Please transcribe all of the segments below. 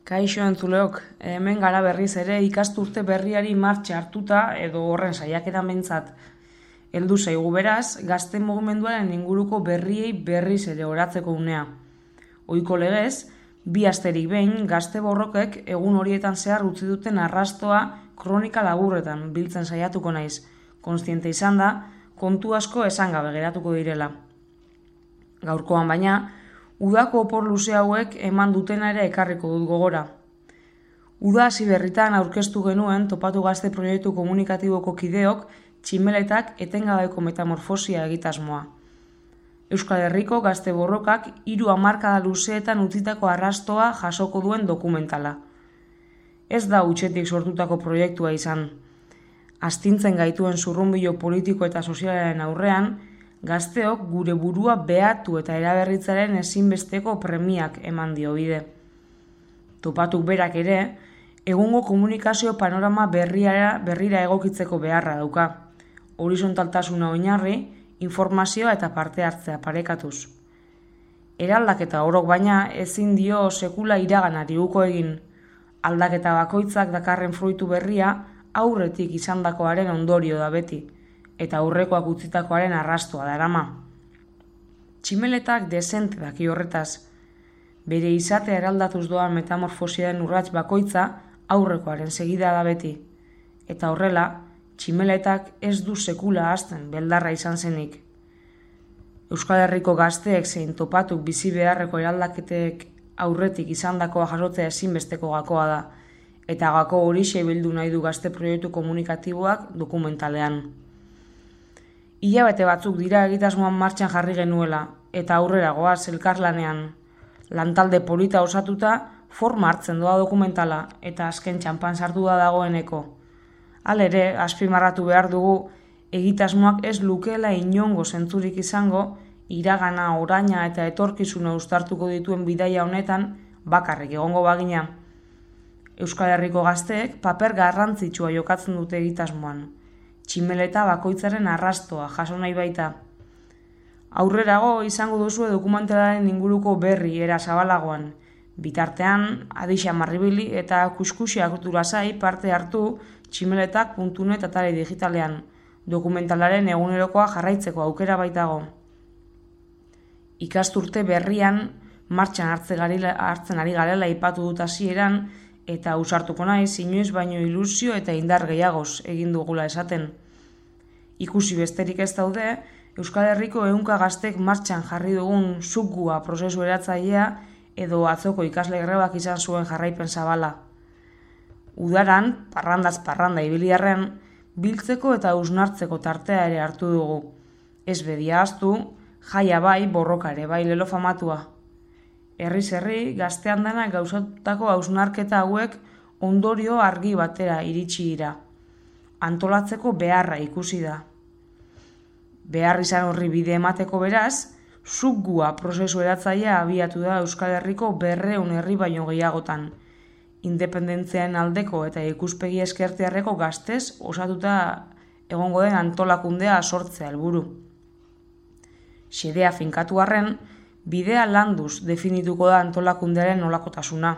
Kaixo entzuleok, hemen gara berriz ere ikasturte berriari martxa hartuta edo horren saiakeran behintzat. Heldu zaigu beraz, gazte mugimenduaren inguruko berriei berriz ere oratzeko unea. Ohiko legez, 2 asterik behin gazte borrokek egun horietan zehar utzi duten arrastoa kronika laburretan biltzen saiatuko naiz. Kontziente izan da, kontu asko esan gabe geratuko direla. Gaurkoan baina, udako opor luze hauek eman dutena ere ekarriko dut gogora. Uda hasi berritan aurkeztu genuen Topatu Gazte proiektu komunikatiboko kideok tximeletak etengabeko metamorfosia egitasmoa. Euskal Herriko gazte borrokak 3 hamarkada luzeetan utzitako arrastoa jasoko duen dokumentala. Ez da hutsetik sortutako proiektua izan. Astintzen gaituen zurrunbilo politiko eta sozialaren aurrean, gazteok gure burua behatu eta eraberritzaren ezinbesteko premiak eman dio bide. Topatuk berak ere, egungo komunikazio panorama berrira egokitzeko beharra dauka. Horizontaltasuna oinarri, informazioa eta parte hartzea parekatuz. Eraldaketa orok baina ezin dio sekula iraganari uko egin. Aldaketa bakoitzak dakarren fruitu berria aurretik izandakoaren ondorio da beti, eta aurrekoak utzitakoaren arrastoa darama. Tximeletak dezente daki horretaz. Bere izatea eraldatuz doan metamorfosiaren urrats bakoitza aurrekoaren segida da beti. Eta horrela, tximeletak ez du sekula hasten beldarra izan zenik. Euskal Herriko gazteek zein Topatuk bizi beharreko eraldaketek aurretik izandakoa jasotzea ezinbesteko gakoa da, eta gako horixe bildu nahi du gazte proiektu komunikatiboak dokumentalean. Hilabete batzuk dira egitasmoan martxan jarri genuela, eta aurrera goaz elkarlanean. Lantalde polita osatuta, forma hartzen doa dokumentala, eta azken txanpan sartu da dagoeneko. Halere, azpimarratu behar dugu, egitasmoak ez lukeela inongo zentzurik izango, iragana, oraina eta etorkizuna uztartuko dituen bidaia honetan bakarrik egongo bagina. Euskal Herriko gazteek paper garrantzitsua jokatzen dute egitasmoan. Tximeleta bakoitzaren arrastoa jaso nahi baita. Aurrerago izango duzue dokumentalaren inguruko berri era zabalagoan. Bitartean, Adixa Marribili eta Kuskusiak lasai parte hartu tximeletak.net atare digitalean. Dokumentalaren egunerokoa jarraitzeko aukera baitago. Ikasturte berrian martxan hartzen ari garela aipatu dut hasieran, eta ausartuko naiz inoiz baino ilusio eta indar gehiagoz egin dugula esaten. Ikusi besterik ez daude, Euskal Herriko 100 gaztek martxan jarri dugun zukgua prozesu eratzailea edo atzoko ikasle grebak izan zuen jarraipen zabala. Udaran, parrandaz parranda ibiliarren, biltzeko eta hausnartzeko tartea ere hartu dugu. Ez bedia ahaztu, jaia bai, borroka ere bai lelo famatua. Herriz herri, gaztean dena gauzatutako hausnarketa hauek ondorio argi batera iritsi dira. Antolatzeko beharra ikusi da. Behar izan horri bide emateko beraz, zukgua prozesu eratzailea abiatu da Euskal Herriko 200 herri baino gehiagotan. Independentziaren aldeko eta ikuspegi eskertiarreko gaztez osatuta egongo den antolakundea sortzea helburu. Xedea finkatu arren, bidea landuz definituko da antolakundearen nolakotasuna.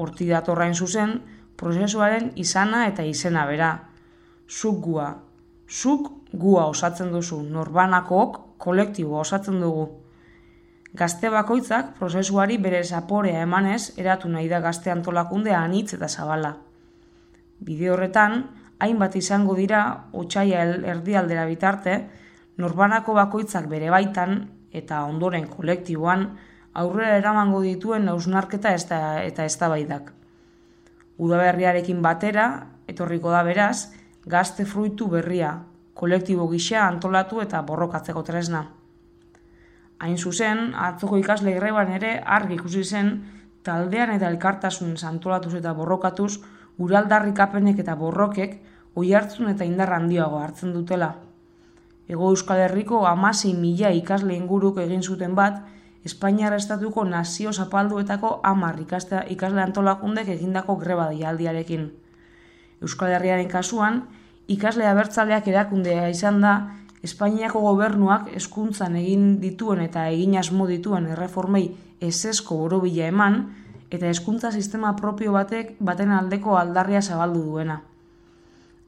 Hortik datorrain zuzen, prozesuaren izana eta izena bera. Zukgua. Zuk gua osatzen duzu, norbanakook kolektiboa osatzen dugu. Gazte bakoitzak prozesuari bere zaporea emanez eratu nahi da gazte antolakundea anitz eta zabala. Bide horretan, hainbat izango dira, otsaila erdialdera bitarte, norbanako bakoitzak bere baitan eta ondoren kolektiboan aurrera eramango dituen hausnarketa eta eztabaidak. Udaberriarekin batera, etorriko da beraz, gazte fruitu berria, kolektibo gisa antolatu eta borrokatzeko tresna. Hain zuzen, atzoko ikasle greban ere argi ikusi zen taldean eta elkartasun antolatuz eta borrokatuz uraldarrikapenek eta borrokek oihartzun eta indar handiago hartzen dutela. Hego Euskal Herriko 16.000 ikasle inguruk egin zuten bat, Espainiar estatuko nazio zapalduetako 10 ikasle antolakundek egindako greba deialdiarekin. Euskal Herriaren kasuan, ikasle abertzaleak erakundea izan da Espainiako gobernuak hezkuntzan egin dituen eta egin asmo dituen erreformei ezezko borobila eman eta hezkuntza sistema propio baten aldeko aldarria zabaldu duena.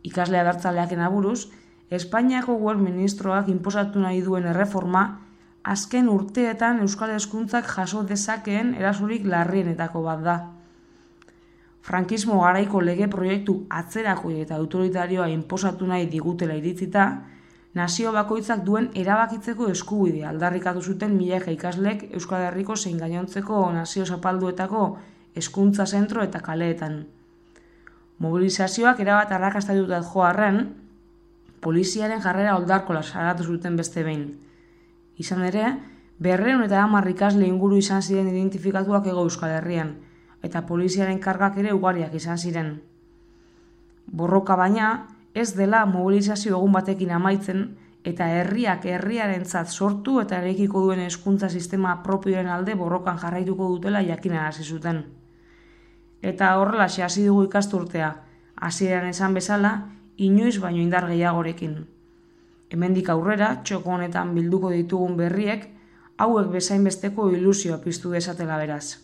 Ikasle abertzaleaken aburuz, Espainiako gobernu ministroak inposatu nahi duen erreforma azken urteetan euskal hezkuntzak jaso dezakeen erasorik larrienetako bat da. Frankismo garaiko lege proiektu atzerako eta autoritarioa inposatu nahi digutela iritzita, nazio bakoitzak duen erabakitzeko eskubidea aldarrikatu zuten milaka ikaslek Euskal Herriko zein gainontzeko nazio zapalduetako hezkuntza zentro eta kaleetan. Mobilizazioak erabat arrakastatutat jo arren, poliziaren jarrera oldarkola salatu zuten beste behin. Izan ere, 210 ikasle inguru izan ziren identifikatuak Hego Euskal Herrian, eta poliziaren kargak ere ugariak izan ziren. Borroka baina, ez dela mobilizazio egun batekin amaitzen, eta herriak herriarentzat sortu eta eraikiko duen hezkuntza sistema propioaren alde borrokan jarraituko dutela jakinarazi zuten. Eta horrelaxe hasi dugu ikasturtea, hasieran esan bezala, inoiz baino indar gehiagorekin. Hemendik aurrera, txoko honetan bilduko ditugun berriek, hauek bezainbesteko ilusioa piztu dezatela beraz.